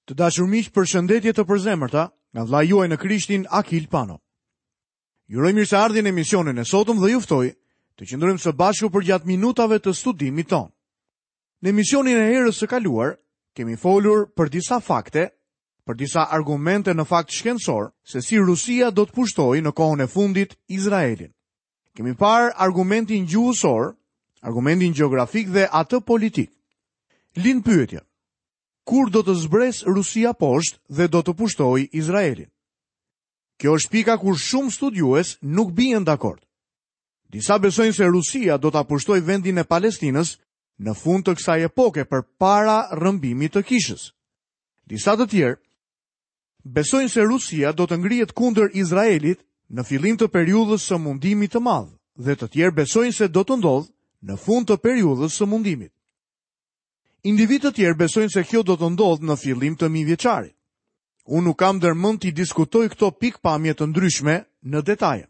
Të dashur miq, përshëndetje të përzemërta nga vëllai juaj në Krishtin Akil Pano. Ju uroj mirëseardhjen në emisionin e sotëm dhe ju ftoj të qëndrojmë së bashku përgjatë minutave të studimit tonë. Në emisionin e herës së kaluar kemi folur për disa fakte, për disa argumente në fakt shkencor se si Rusia do të pushtojë në kohën e fundit Izraelin. Kemi parë argumentin gjuhësor, argumentin gjeografik dhe atë politik. Lind pyetja. Kur do të zbresë Rusia poshtë dhe do të pushtojë Izraelin? Kjo është pika kur shumë studiues nuk bien dakord. Disa besojnë se Rusia do ta pushtojë vendin e Palestinës në fund të kësaj epoke përpara rrëmbimit të kishës. Disa të tjerë besojnë se Rusia do të ngrihet kundër Izraelit në fillim të periudhës së mundimit të madh dhe të tjerë besojnë se do të ndodhë në fund të periudhës së mundimit. Individë të tjerë besojnë se kjo do të ndodhë në fillim të mijëvjeçarit. Unë nuk kam ndërmend t'i diskutoj këto pikëpamje të ndryshme në detaje.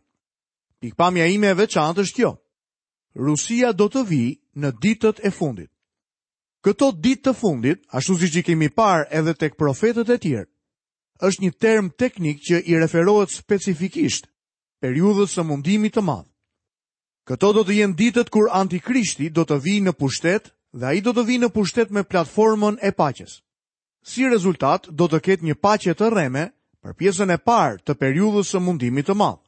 Pikëpamja ime e veçantë është kjo. Rusia do të vijë në ditët e fundit. Këto ditë të fundit, ashtu siç i kemi parë edhe tek profetët e tjerë, është një term teknik që i referohet specifikisht periudhës së mundimit të madh. Këto do të jenë ditët kur Antikrishti do të vijë në pushtet dhe ai do të vijë në pushtet me platformën e paqes. Si rezultat, do të ketë një paqe të rreme për pjesën e parë të periudhës së mundimit të madh.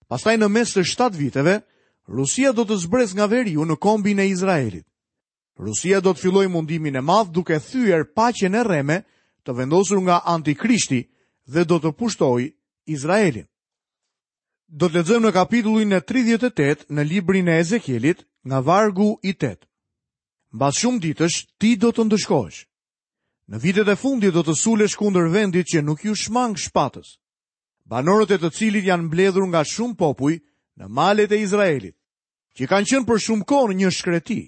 Pastaj në mes të 7 viteve, Rusia do të zbresë nga veriu në kombin e Izraelit. Rusia do të fillojë mundimin e madh duke thyer paqen e rreme të vendosur nga Antikrishti dhe do të pushtojë Izraelin. Do të lexojmë në kapitullin e 38 në librin e Ezekielit nga vargu i 8. Mbas shumë ditësh ti do të ndëshkohesh. Në vitet e fundit do të sulesh kundër vendit që nuk iu shmang shpatës. Banorët e të cilit janë mbledhur nga shumë popuj në malet e Izraelit, që kanë qenë për shumë kohë në një shkreti.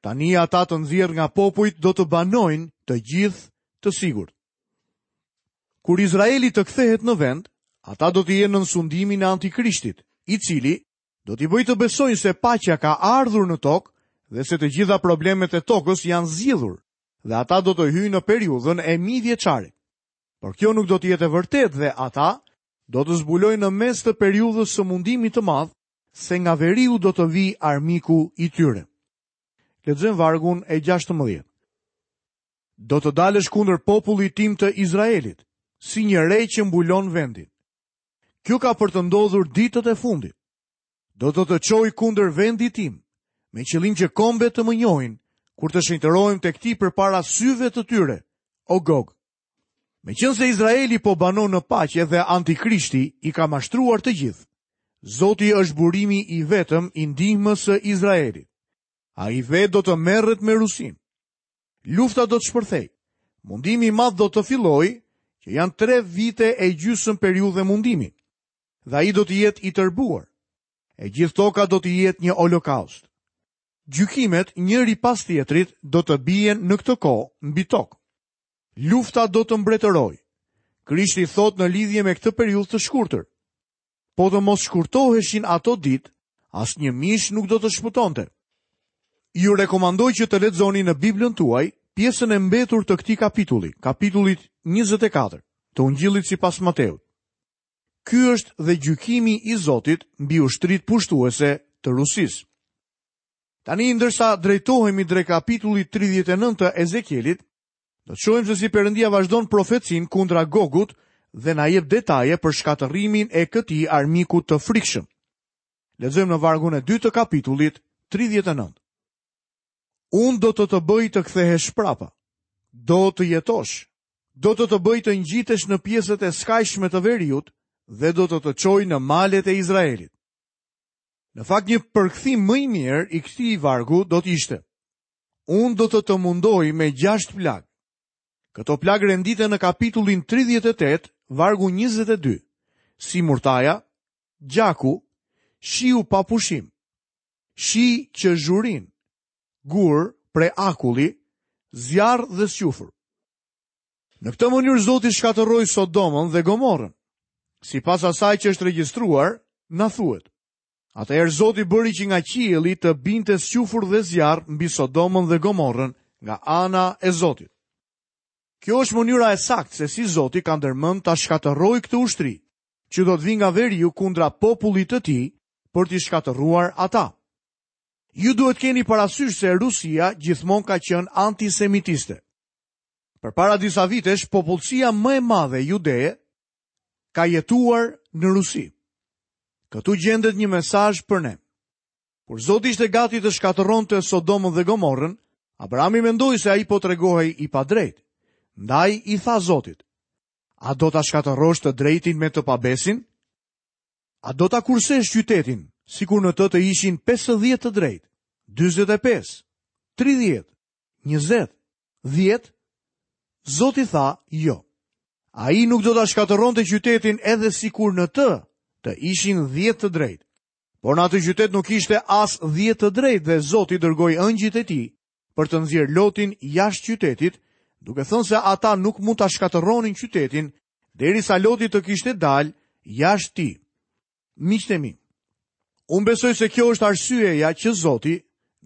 Tani ata të nxjerrë nga popujt do të banojnë të gjithë të sigurt. Kur Izraeli të kthehet në vend, ata do të jenë nën sundimin e Antikrishtit, i cili do t'i bëjë të besojnë se paqja ka ardhur në tokë dhe se të gjitha problemet e tokës janë zgjidhur dhe ata do të hyjnë në periudhën e mijëvjeçarit. Por kjo nuk do të jetë e vërtetë dhe ata do të zbulojnë në mes të periudhës së mundimit të madh se nga veriu do të vijë armiku i tyre. Lexojmë vargun e 16. Do të dalësh kundër popullit tim të Izraelit, si një re që mbulon vendin. Kjo ka për të ndodhur ditët e fundit. Do të të çoj kundër vendit tim, me qëllim që kombet të më njohin, kur të shenjtërohem tek ti përpara syve të tyre, o Gog. Meqenëse Izraeli po banon në paqe dhe antikrishti i ka mashtruar të gjithë, Zoti është burimi i vetëm i ndihmës së Izraelit. Ai vetë do të merret me Rusinë. Lufta do të shpërthejë. Mundimi i madh do të fillojë, që janë 3 vite e gjysmë periudhë mundimi. Dhe ai do të jetë i tërbuar. E gjithë toka do të jetë një holokaust. Gjykimet njëri pas tjetrit do të bien në këtë kohë mbi tokë. Lufta do të mbretërojë. Krishti thotë në lidhje me këtë periudhë të shkurtër. Po të mos shkurtoheshin ato ditë, asnjë mish nuk do të shpëtonte. Ju rekomandoj që të lexoni në Biblën tuaj pjesën e mbetur të këtij kapitulli, kapitullit 24 të Ungjillit sipas Mateut. Ky është dhe gjykimi i Zotit mbi ushtritë pushtuese të Rusisë. Tani ndërsa drejtohemi drejt kapitullit 39 të Ezekielit, Do të shohim se si Perëndia vazhdon profecinë kundra Gogut dhe na jep detaje për shkatërrimin e këtij armiku të frikshëm. Lexojmë në vargun e dytë të kapitullit 39. Unë do të të bëj të kthehesh prapa. Do të jetosh. Do të të bëj të ngjitesh në pjesët e skajshme të veriut dhe do të të çoj në malet e Izraelit. Në fakt një përkthim më i mirë i këtij vargu do të ishte: Unë do të të mundoj me gjashtë plagë. Këto plagë renditen në kapitullin 38, vargu 22, si murtaja, gjaku, shiu pa pushim, shi që zhurin, gurë prej akulli, zjarr dhe squfur. Në këtë mënyrë Zoti shkatërroi Sodomën dhe Gomorrën. Sipas asaj që është regjistruar, na thuhet. Atëherë Zoti bëri që nga qielli të binte squfur dhe zjarr mbi Sodomën dhe Gomorrën nga ana e Zotit. Kjo është mënyra e saktë se si Zoti ka ndërmend ta shkatërrojë këtë ushtri, që do të vijë nga veriu kundra popullit të tij për t'i shkatërruar ata. Ju duhet keni parasysh se Rusia gjithmonë ka qenë antisemitiste. Përpara disa vitesh, popullsia më e madhe judeje ka jetuar në Rusi. Këtu gjendet një mesazh për ne. Kur Zoti ishte gati të shkatërronte Sodomën dhe Gomorrën, Abrahami mendoi se ai po tregohej i padrejtë. Ndaj i tha Zotit: A do ta shkatërrosh të drejtin me të pabesin? A do ta kursesh qytetin, sikur në të të ishin 50 të drejtë, 45, 30, 20, 10? Zoti tha, jo. Ai nuk do ta shkatërronte qytetin edhe sikur në të të ishin 10 të drejtë. Por në atë qytet nuk ishte as 10 të drejtë dhe Zoti dërgoi engjëjt e tij për të nxjerrë Lotin jashtë qytetit, duke thënë se ata nuk mund ta shkatërronin qytetin derisa Loti të kishte dalë jashtë tij. Miqtë e mi, unë besoj se kjo është arsyeja që Zoti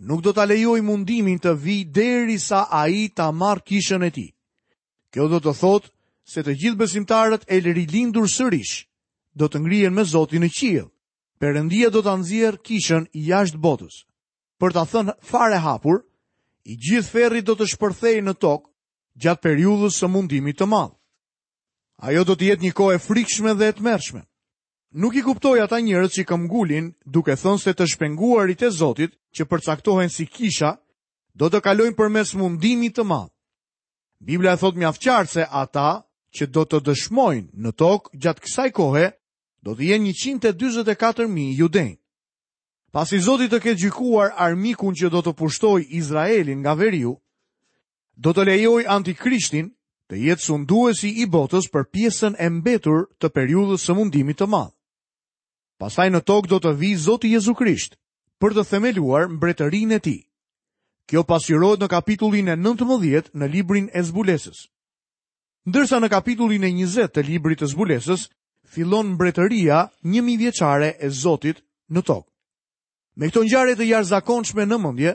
nuk do ta lejojë mundimin të vijë derisa ai ta marrë kishën e tij. Kjo do të thotë se të gjithë besimtarët e rilindur sërish do të ngrihen me Zotin në qiell. Perëndia do ta nxjerrë kishën jashtë botës. Për ta thënë fare hapur, i gjithë ferri do të shpërthejë në tokë gjatë periudhës së mundimit të madh. Ajo do të jetë një kohë e frikshme dhe e tmerrshme. Nuk i kuptoj ata njerëz që këmbgulin duke thënë se të shpenguarit e Zotit, që përcaktohen si kisha, do të kalojnë përmes mundimit të madh. Bibla e thotë mjaft qartë se ata që do të dëshmojnë në tokë gjatë kësaj kohe do të jenë 144.000 judenj. Pasi Zoti të ketë gjykuar armikun që do të pushtojë Izraelin nga veriu, do të lejojë antikrishtin të jetë sunduesi i botës për pjesën e mbetur të periudhës së mundimit të madh. Pastaj në tokë do të vijë Zoti Jezu Krisht për të themeluar mbretërinë e tij. Kjo pasqyrohet në kapitullin e 19 në librin e Zbulesës. Ndërsa në kapitullin e 20 të librit të Zbulesës fillon mbretëria njëmijëvjeçare e Zotit në tokë. Me këto ngjarje të jashtëzakonshme në mendje,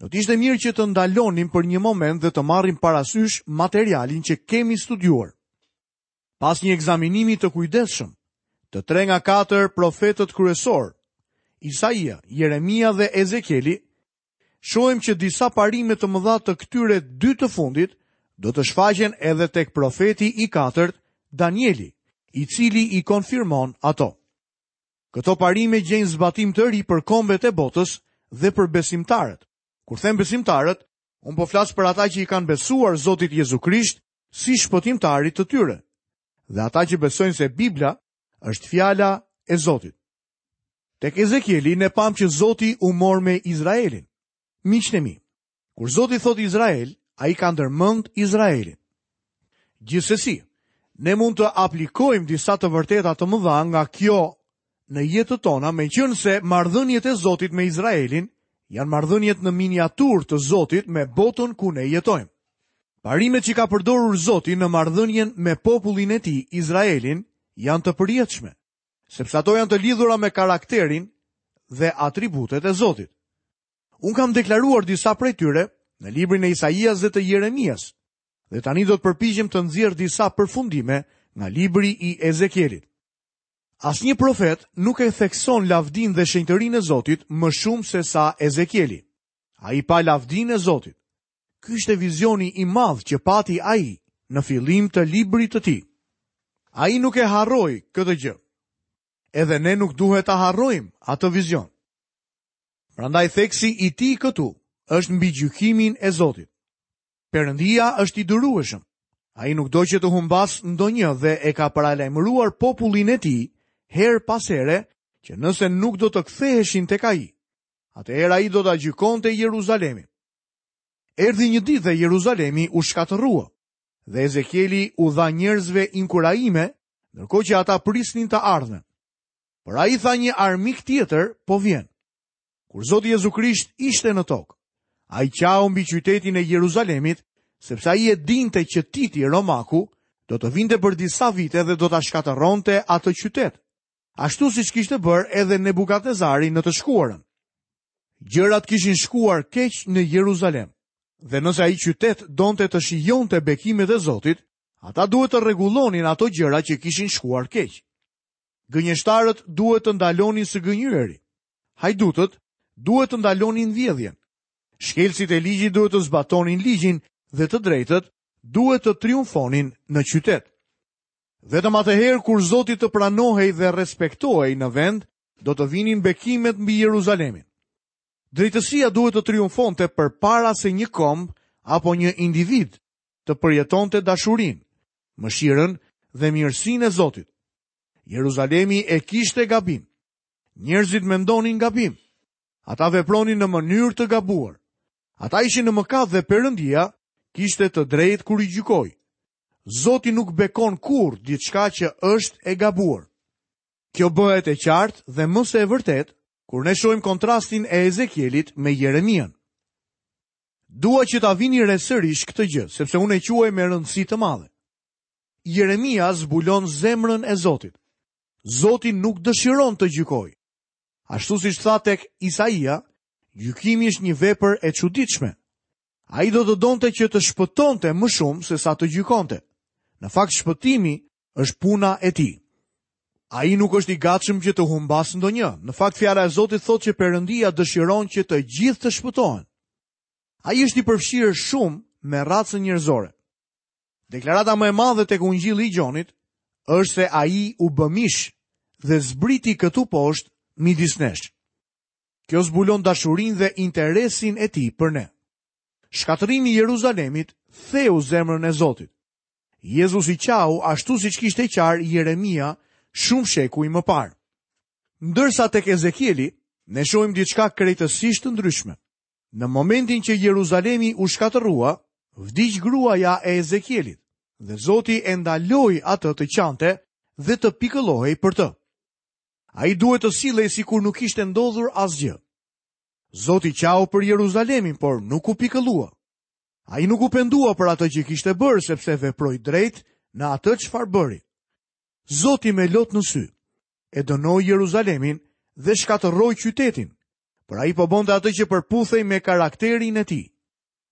do të ishte mirë që të ndalonim për një moment dhe të marrim parasysh materialin që kemi studiuar. Pas një ekzaminimi të kujdesshëm, të tre nga katër profetët kryesorë, Isaia, Jeremia dhe Ezekieli, shohim që disa parime të mëdha të këtyre dy të fundit do të shfaqen edhe tek profeti i katërt, Danieli, i cili i konfirmon ato. Këto parime gjejnë zbatim të ri për kombet e botës dhe për besimtarët. Kur them besimtarët, unë po flas për ata që i kanë besuar Zotit Jezu Krisht si shpëtimtarit të tyre dhe ata që besojnë se Bibla është fjala e Zotit. Tek Ezekieli ne pamë që Zoti u mor me Izraelin. Miqtë e mi, kur Zoti thotë Izrael, ai ka ndërmend Izraelin. Gjithsesi, ne mund të aplikojmë disa të vërteta të mëdha nga kjo në jetët tona, meqenëse marrëdhëniet e Zotit me Izraelin janë marrëdhëniet në miniaturë të Zotit me botën ku ne jetojmë. Parimet që ka përdorur Zoti në marrëdhënien me popullin e tij, Izraelin, janë të përjetshme. sepse ato janë të lidhura me karakterin dhe atributet e Zotit. Unë kam deklaruar disa prej tyre në librin e Isaias dhe të Jeremias, dhe tani do të përpiqem të nxjerr disa përfundime nga libri i Ezekielit. Asnjë profet nuk e thekson lavdinë dhe shenjtërinë e Zotit më shumë sesa Ezekieli. Ai pa lavdinë e Zotit. Ky ishte vizioni i madh që pati ai në fillim të librit të tij. Ai nuk e harroi këtë gjë. Edhe ne nuk duhet ta harrojmë atë vizion. Prandaj theksi i tij këtu është mbi gjykimin e Zotit. Perëndia është i durueshëm. Ai nuk do që të humbasë ndonjë dhe e ka paralajmëruar popullin e tij herë pas here që nëse nuk do të ktheheshin tek ai, atëherë ai do ta gjykonte Jeruzalemin. Erdhi një ditë dhe Jeruzalemi u shkatërrua dhe Ezekieli u dha njerëzve inkurajime, ndërkohë që ata prisnin të ardhmen. Por ai tha një armik tjetër po vjen. Kur Zoti Jezu Krisht ishte në tokë, ai qau mbi qytetin e Jeruzalemit, sepse ai e dinte që Titi Romaku do të vinte për disa vite dhe do ta shkatërronte atë qytet, ashtu siç kishte bërë edhe Nebukadnezari në të shkuarën. Gjërat kishin shkuar keq në Jeruzalem. Dhe nëse ai qytet donte të shijonte bekimet e Zotit, ata duhet të rregullonin ato gjëra që kishin shkuar keq. Gënjeshtarët duhet të ndalonin së gënjyeri. Hajdutët duhet të ndalonin vjedhjen. Shkelësit e ligjit duhet të zbatonin ligjin dhe të drejtët duhet të triumfonin në qytet. Vetëm atëherë kur Zoti të pranohej dhe respektohej në vend, do të vinin bekimet mbi Jeruzalemin. Drejtësia duhet të triumfonte përpara se një komb apo një individ të përjetonte dashurinë, mëshirën dhe mirësinë e Zotit. Jeruzalemi e kishte gabim. Njerëzit mendonin gabim. Ata vepronin në mënyrë të gabuar. Ata ishin në mëkat dhe Perëndia kishte të drejtë kur i gjykoi. Zoti nuk bekon kurrë diçka që është e gabuar. Kjo bëhet e qartë dhe më se e vërtetë kur ne shohim kontrastin e Ezekielit me Jeremian. Dua që ta vini re sërish këtë gjë, sepse unë e quaj me rëndësi të madhe. Jeremia zbulon zemrën e Zotit. Zoti nuk dëshiron të gjykojë. Ashtu siç tha tek Isaia, gjykimi është një vepër e çuditshme. Ai do të donte që të shpëtonte më shumë sesa të gjykonte. Në fakt shpëtimi është puna e tij. Ai nuk është i gatshëm që të humbasë ndonjë. Në fakt fjala e Zotit thotë që Perëndia dëshiron që të gjithë të shpëtohen. Ai është i përfshirë shumë me racën njerëzore. Deklarata më e madhe tek Ungjilli i Gjonit është se ai u bë mish dhe zbriti këtu poshtë midis nesh. Kjo zbulon dashurinë dhe interesin e tij për ne. Shkatërrimi i Jeruzalemit theu zemrën e Zotit. Jezusi qau ashtu siç kishte qarë Jeremia shumë shekuj më parë. Ndërsa tek Ezekieli, ne shohim diçka krejtësisht të ndryshme. Në momentin që Jeruzalemi u shkatërrua, vdiq gruaja e Ezekielit dhe Zoti e ndaloi atë të qante dhe të pikëllohej për të. Ai duhet të sillej sikur nuk kishte ndodhur asgjë. Zoti qau për Jeruzalemin, por nuk u pikëllua. Ai nuk u pendua për atë që kishte bërë, sepse veproi drejt në atë çfarë bëri. Zoti me lot në sy e dënoi Jeruzalemin dhe shkatërroi qytetin, por ai po bënte atë që përputhej me karakterin e tij.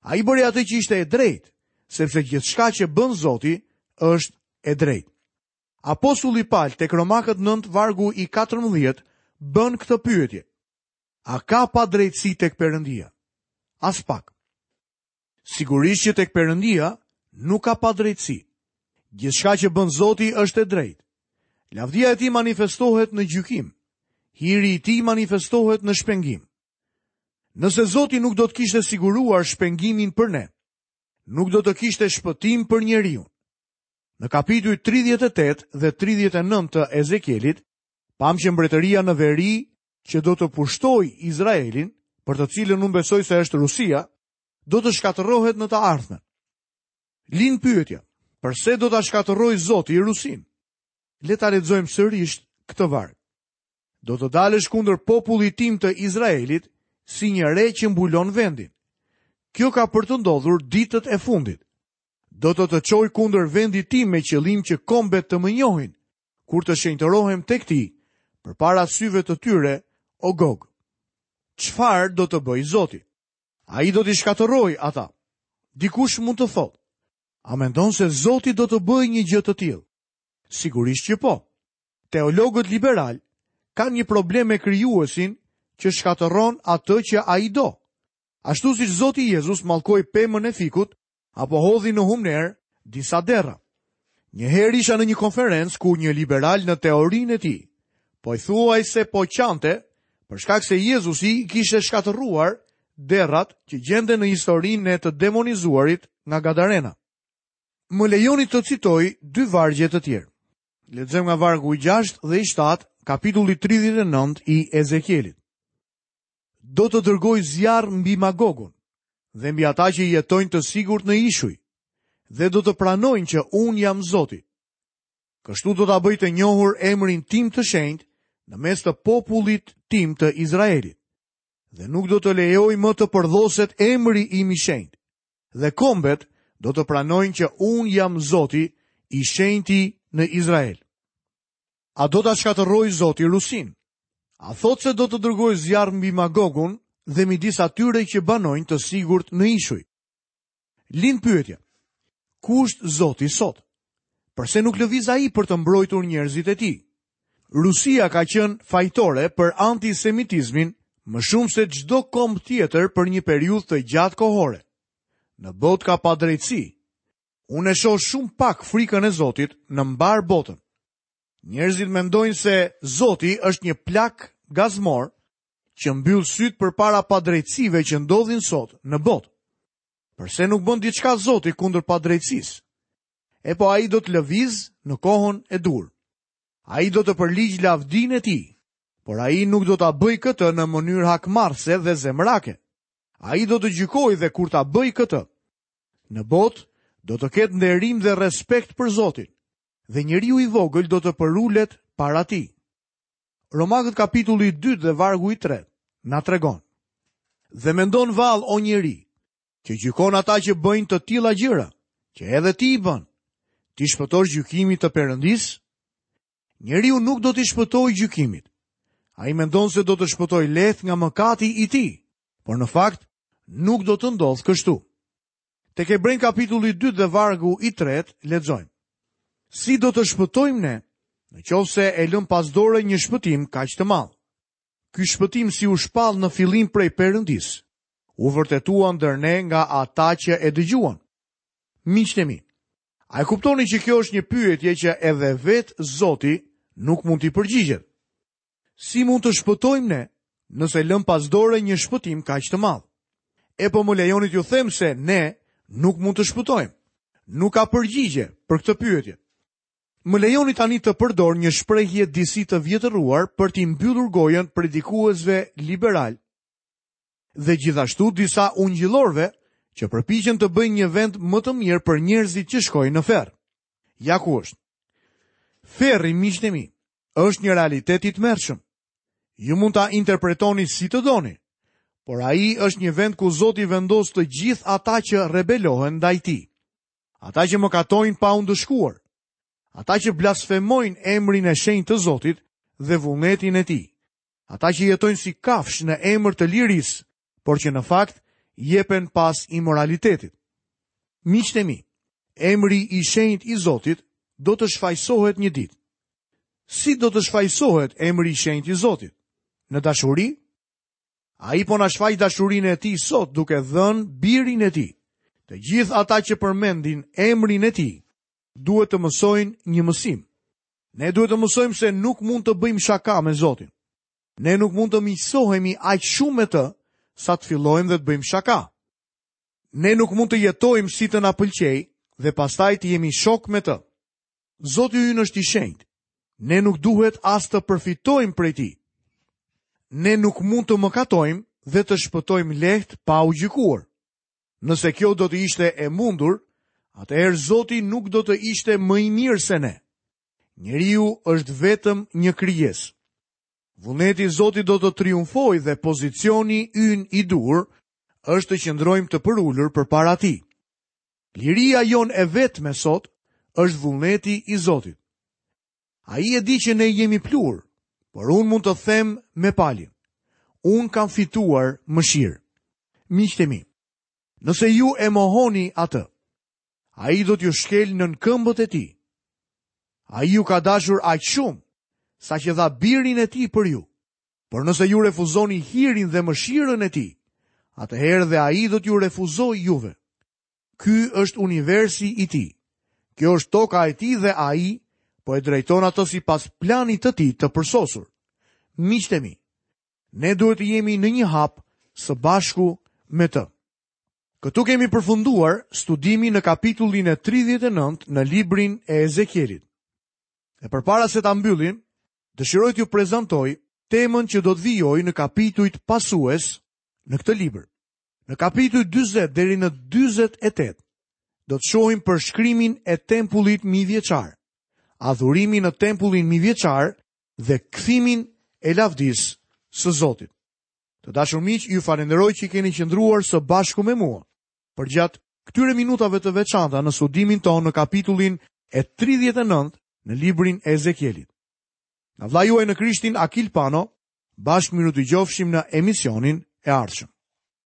Ai bëri atë që ishte e drejtë, sepse gjithçka që bën Zoti është e drejtë. Apostulli Pal tek Romakët 9 vargu i 14 bën këtë pyetje. A ka padrejtësi tek Perëndia? Aspak. Sigurisht që tek Perëndia nuk ka padrejtësi. Gjithçka që bën Zoti është e drejtë. Lavdia e tij manifestohet në gjykim. Hiri i tij manifestohet në shpengim. Nëse Zoti nuk do të kishte siguruar shpengimin për ne, nuk do të kishte shpëtim për njeriun. Në kapitujt 38 dhe 39 të Ezekielit, pamë që mbretëria në veri që do të pushtojë Izraelin, për të cilën unë besoj se është Rusia, do të shkatërrohet në të ardhmen. Lind pyetja, përse do ta shkatërrojë Zoti Rusinë? Le ta lexojmë sërish këtë varg. Do të dalësh kundër popullit tim të Izraelit si një re që mbulon vendin. Kjo ka për të ndodhur ditët e fundit. Do të të çoj kundër vendit tim me qëllim që kombet të më njohin, kur të shenjtërohem tek ti, përpara syve të tyre, o Gog. Çfarë do të bëjë Zoti? Ai do t'i shkatërrojë ata. Dikush mund të thotë, a mendon se Zoti do të bëjë një gjë të tillë? Sigurisht që po. Teologët liberalë kanë një problem me krijuesin që shkatërron atë që ai do. Ashtu siç Zoti Jezus mallkoi pemën e fikut, apo hodhi në humnerë disa derra. Një herë isha në një konferencë ku një liberal në teorinë e tij, pothuajse po qante për shkak se Jezusi i kishte shkatërruar derrat që gjenden në historinë e të demonizuarit nga Gadarena. Më lejoni të citoj dy vargje të tjerë. Lexojmë nga vargu i 6 dhe i 7, kapitulli 39 i Ezekielit. Do të dërgoj zjarr mbi Magogun dhe mbi ata që jetojnë të sigurt në ishuj dhe do të pranojnë që unë jam Zoti. Kështu do ta bëj të njohur emrin tim të shenjtë në mes të popullit tim të Izraelit. Dhe nuk do të lejoj më të përdhoset emri im i shenjtë. Dhe kombet do të pranojnë që unë jam Zoti i shenjti në Izrael. A do ta shkatërrojë Zoti Rusinë? A thotë se do të dërgojë zjarr mbi Magogun dhe midis atyre që banojnë të sigurt në ishuj? Lind pyetja. Ku është Zoti sot? Përse nuk lëviz ai për të mbrojtur njerëzit e tij? Rusia ka qenë fajtore për antisemitizmin më shumë se çdo komb tjetër për një periudhë të gjatë kohore. Në botë ka padrejtësi. Unë e shoh shumë pak frikën e Zotit në mbarë botën. Njerëzit mendojnë se Zoti është një plak gazmor që mbyll sytë përpara padrejtësive që ndodhin sot në botë. Përse nuk bën diçka Zoti kundër padrejtësisë? E po ai do të lëvizë në kohën e duhur. Ai do të përligjë lavdinë e tij, por ai nuk do ta bëjë këtë në mënyrë hakmarrëse dhe zemrake. Ai do të gjykojë dhe kur ta bëjë këtë, në botë do të ketë nderim dhe respekt për Zotin dhe njeriu i vogël do të përulet para tij. Romakët kapitulli i 2 dhe vargu i 3 na tregon. Dhe mendon vallë o njeri, që gjykon ata që bëjnë të tilla gjëra, që edhe ti i bën. T'i shpëtosh gjykimit të Perëndisë? Njeriu nuk do t'i shpëtojë gjykimit. Ai mendon se do të shpëtojë lehtë nga mëkati i tij, por në fakt nuk do të ndodhë kështu. Tek Hebrenjtë kapitulli 2 dhe vargu i 3 lexojmë. Si do të shpëtojmë ne, në qoftë se e lëmë pas dore një shpëtim kaq të madh? Ky shpëtim si u shpall në fillim prej Perëndisë, u vërtetua ndër ne nga ata që e dëgjuan. Miqtë e mi, a e kuptoni që kjo është një pyetje që edhe vetë Zoti nuk mund t'i përgjigjet? Si mund të shpëtojmë ne, nëse lëmë pas dore një shpëtim kaq të madh? E po më lejoni t'ju them se ne nuk mund të shpëtojmë. Nuk ka përgjigje për këtë pyetje. Më lejoni tani të përdor një shprehje disi të vjetëruar për t'i mbyllur gojën predikuesve liberalë dhe gjithashtu disa ungjillorëve që përpiqen të bëjnë një vend më të mirë për njerëzit që shkojnë në ferr. Ja ku është. Ferri, miqtë e mi, është një realitet i tmerrshëm. Ju mund ta interpretoni si të doni, por ai është një vend ku Zoti vendos të gjithë ata që rebelohen ndaj tij. Ata që mëkatojnë pa u ndëshkuar, ata që blasfemojnë emrin e shenjtë të Zotit dhe vullnetin e tij, ata që jetojnë si kafshë në emër të lirisë, por që në fakt jepen pas imoralitetit. Miqtë e mi, emri i shenjtë i Zotit do të shfajësohet një ditë. Si do të shfajësohet emri i shenjtë i Zotit? Në dashuri? Ai po na shfaq dashurinë e tij sot duke dhënë birin e tij. Të gjithë ata që përmendin emrin e tij duhet të mësojnë një mësim. Ne duhet të mësojmë se nuk mund të bëjmë shaka me Zotin. Ne nuk mund të miqësohemi aq shumë me të sa të fillojmë dhe të bëjmë shaka. Ne nuk mund të jetojmë si të na pëlqejë dhe pastaj të jemi shokë me të. Zoti ynë është i shenjtë. Ne nuk duhet as të përfitojmë prej tij. Ne nuk mund të mëkatojmë dhe të shpëtojmë lehtë pa u gjykuar. Nëse kjo do të ishte e mundur, atëherë Zoti nuk do të ishte më i mirë se ne. Njeriu është vetëm një krijesë. Vullneti i Zotit do të triumfojë dhe pozicioni ynë i duhur është të qëndrojmë të përulur përpara tij. Liria jonë e vetme sot është vullneti i Zotit. Ai e di që ne jemi pluhur, por unë mund të them me Palin. Unë kam fituar mëshirë. Miqtë e mi, nëse ju e mohoni atë, ai do t'ju shkelë nën këmbët e tij. Ai ju ka dashur aq shumë, saqë dha birin e tij për ju. Por nëse ju refuzoni hirin dhe mëshirën e tij, atëherë dhe ai do t'ju refuzojë juve. Ky është universi i tij. Kjo është toka e tij dhe ai po e drejton atë sipas planit të tij të përsosur. Miqtë e mi, ne duhet të jemi në një hap së bashku me të. Këtu kemi përfunduar studimin në kapitullin e 39 në librin e Ezekielit. Dhe përpara se ta mbyllim, dëshiroj t'ju prezantoj temën që do të vijojë në kapitujt pasues në këtë libër. Në kapitujt 40 deri në 48 do të shohim përshkrimin e tempullit mijëvjeçar, adhurimin në tempullin mijëvjeçar dhe kthimin e lavdisë së Zotit. Të dashur miq, ju falenderoj që keni qëndruar së bashku me mua përgjatë këtyre minutave të veçanta në studimin tonë në kapitullin e 39 në librin e Ezekielit. Nga vëllai juaj në Krishtin Akil Pano, bashkë mirudëgjofshim në emisionin e ardhshëm.